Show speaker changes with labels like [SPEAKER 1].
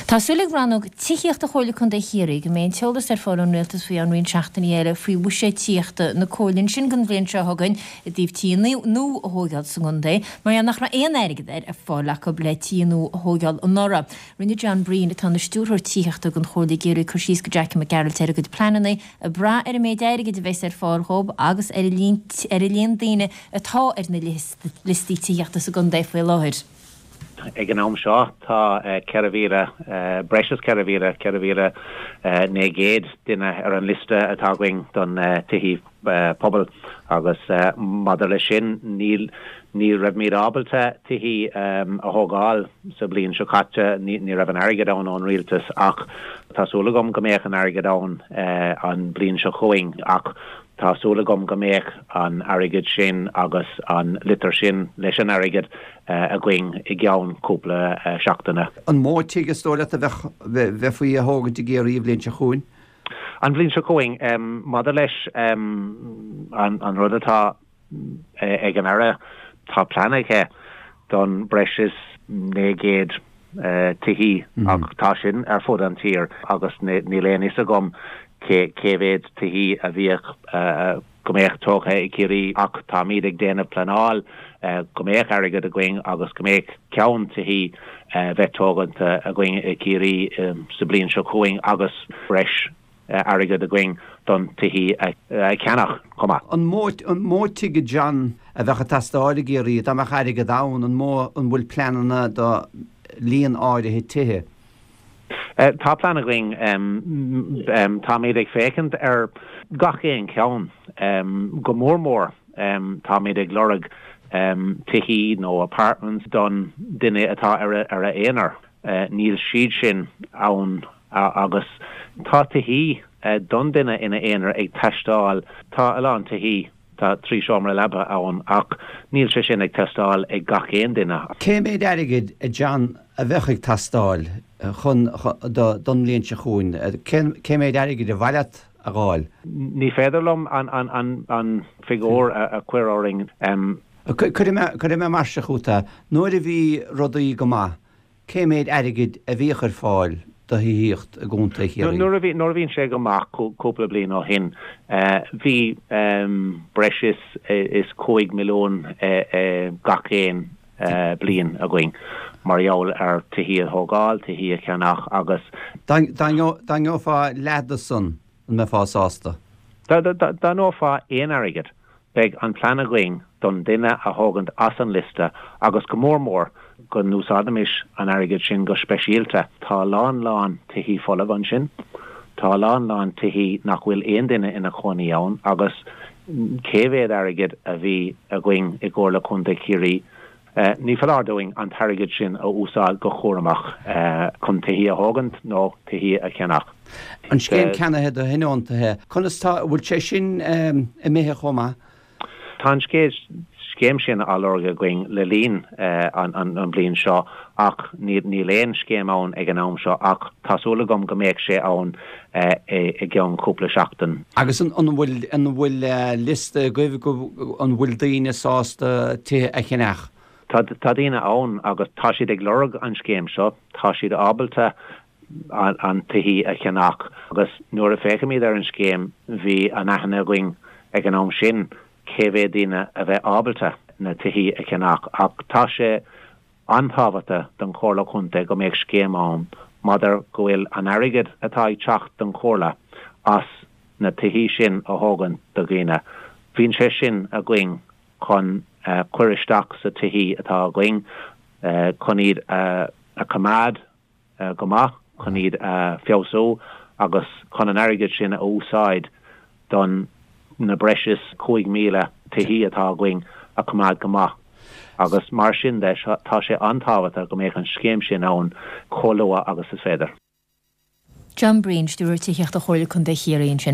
[SPEAKER 1] Tá súil ag Rannóg Tithíochta Chomhairle Contae Chiarraí go mbeidh an t-eolas ar fáil ón Rialtas faoi cheann roinnt seachtainí eile faoi bhuiséad tithíochta na Comhairle ansin don bhliain seo chugainn i dtaobh tithe nua a thóigeáil sa gcontae mar gheall nach raibh aon airgead ar fáil acu le tithe nua a thóigeáil anuraidh. Rinne John Breen, atá ina stiúrthóir tithíochta don Chomhairle i gCiarraí cur síos go Jackie Mac Gearailt ar a gcuid pleananna ag brath ar an méid airgid a bheas ar fáil dhóibh agus ar ar an líon daoine atá ar na liostaí tithíochta sa gcontae faoi láthair.
[SPEAKER 2] Ag an am seo tá 4,000, breis is 4,000, 4,900 duine ar an liosta atá againn don tithí pobail agus maidir leis sin níl, ní raibhimid ábalta tithí a thógáil sa bhliain seo caite, ní raibh an airgead ann ón rialtas ach tá súil agam go mbeadh an airgead ann an bhliain seo chugainn ach tá súil agam go mbeadh an airgead sin agus an litir sin leis an airgead againn i gceann cúpla seachtaine.
[SPEAKER 3] An mó tigh is dóigh leat a bheadh, bheifí a thógaint i gCiarraí an bhliain seo chugainn?
[SPEAKER 2] An bhliain seo chugainn, maidir leis an rud atá ag an Aire, tá plean aige don breis is 900 tithí ach tá sin ar fud an tír agus níl aon fhios agam cé mhéad tithí a bhíodh go mbeadh tógtha i gCiarraí ach táimid ag déanamh pleanáil go mbeadh airgead againn agus go mbeadh ceann tithí bheith tóganta againn i gCiarraí sa bliain seo chugainn agus breis airgead againn don tithí a cheannach chomh maith.
[SPEAKER 3] An mó an mó tigh a John a bheadh ag teastáil i gCiarraí dá mbeadh airgead ann? An mó an bhfuil pleananna do líon áirithe tithe?
[SPEAKER 2] Tá plean againn. Táimid ag féachaint ar gach aon cheann. Go mór mór táimid ag lorg tithí nó apartments don duine atá ar a aonar. Níl siad sin ann agus tá tithí don duine ina aonar ag teastáil. Tá a lán tithí Tá 3 seomra leapa ann ach níl sé sin ag teastáil ag gach aon duine.
[SPEAKER 3] Cé méid airgid, a John, a bheadh ag teastáil chun, do, don mbliain seo chugainn? Cé méid airgid ar mhaith leat a dh'fháil?
[SPEAKER 2] Ní féidir liom an, an figiúr a chuir orainn.
[SPEAKER 3] Cuirfidh mé, cuirfidh mé mar seo chugat é, nuair a bhí rudaí go maith, Cé méid airgid a bhíodh ar fáil do thithíocht i gContae Chiarraí?
[SPEAKER 2] Nuair a bhí, nuair a bhíonn sé go maith, cúpla bliain ó shin, bhí breis is is 5 milliún gach aon bliain againn mar gheall ar tithí a thógáil, tithí a cheannach agus.
[SPEAKER 3] Dá ngeofá leath de san, an mbeifeá sásta?
[SPEAKER 2] Dá ngeofá aon airgead, Beidh an plean againn don duine a thógaint as an liosta agus go mór mór go n-úsáidimis an airgead sin go speisialta. Tá a lán lán tithí folamh ansin. Tá a lán lán tithí nach bhfuil aon duine ina chónaí ann agus cé mhéad airgead a bhí againn i gComhairle Contae Chiarraí Ní foláir dúinn an t-airgead sin a úsáid go cúramach chun tithí a thógaint nó tithí a cheannach.
[SPEAKER 3] An scéim ceannaithe do thionóntaithe, conas tá, an bhfuil sé sin imithe chomh maith?
[SPEAKER 2] Tá an scéim sin á lorg againn le linn an bhliain seo ach níl aon scéim ann ag an am seo ach tá súil agam go mbeadh sé ann i gceann cúpla seachtain.
[SPEAKER 3] Agus an bhfuil, an bhfuil liosta agaibh go, an bhfuil daoine sásta tithe a cheannach?
[SPEAKER 2] Tá, tá daoine ann agus tá siad ag lorg an scéim seo, tá siad ábalta an tithí a cheannach agus nuair a féachaimid ar an scéim bhí an aithne againn ag an am sin cé mhéad daoine a bheith ábalta na tithí a cheannach ach tá sé an-tábhachtach don Chomhairle Contae go mbeadh scéim ann maidir go bhfuil an airgead atá ag teacht don Chomhairle as na tithí sin a thógaint do dhaoine. Bíonn sé sin againn chun cuir isteach sa tithí atá againn chun iad a choimeád go maith chun iad a feabhsú agus chun an airgead sin a úsáid don na breis is 5,000 tithí atá againn a choimeád go maith agus mar sin de tá sé an-tábhachtach go mbeadh an scéim sin ann chomh luath agus is féidir.
[SPEAKER 1] John Breen, Stiúrthóir Tithíochta Chomhairle Contae Chiarraí ansin.